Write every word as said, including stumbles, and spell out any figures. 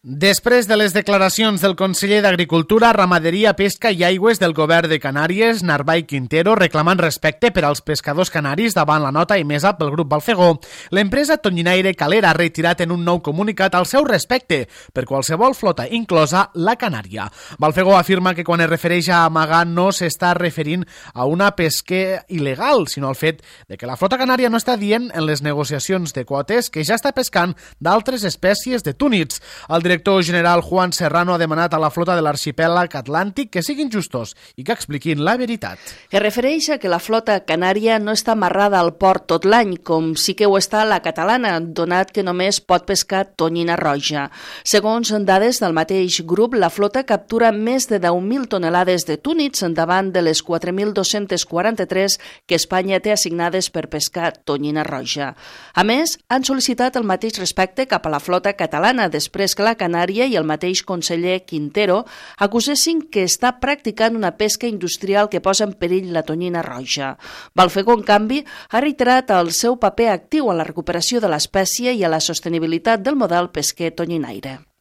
Després de les declaracions del conseller d'Agricultura, Ramaderia, Pesca i Aigües del govern de Canàries, Narvay Quintero, reclamant respecte per als pescadors canaris davant la nota emesa pel grup Balfegó, l'empresa tonyinaire Calera ha retirat en un nou comunicat el seu respecte per qualsevol flota, inclosa la canària. Balfegó afirma que quan es refereix a amagar no s'està referint a una pesca il·legal, sinó al fet de que la flota canària no està dient en les negociacions de quotes que ja està pescant d'altres espècies de túnids. El director general Juan Serrano ha demanat a la flota de l'arxipèlag atlàntic que siguin justos i que expliquin la veritat. Es refereix a que la flota canària no està amarrada al port tot l'any, com sí que ho està la catalana, donat que només pot pescar tonyina roja. Segons dades del mateix grup, la flota captura més de deu mil tonelades de túnids davant de les quatre mil dos-cents quaranta-tres que Espanya té assignades per pescar tonyina roja. A més, han sol·licitat el mateix respecte cap a la flota catalana després que la Canària i el mateix conseller Quintero acusessin que està practicant una pesca industrial que posa en perill la tonyina roja. Balfegó, en canvi, ha reiterat el seu paper actiu en la recuperació de l'espècie i a la sostenibilitat del model pesquer tonyinaire.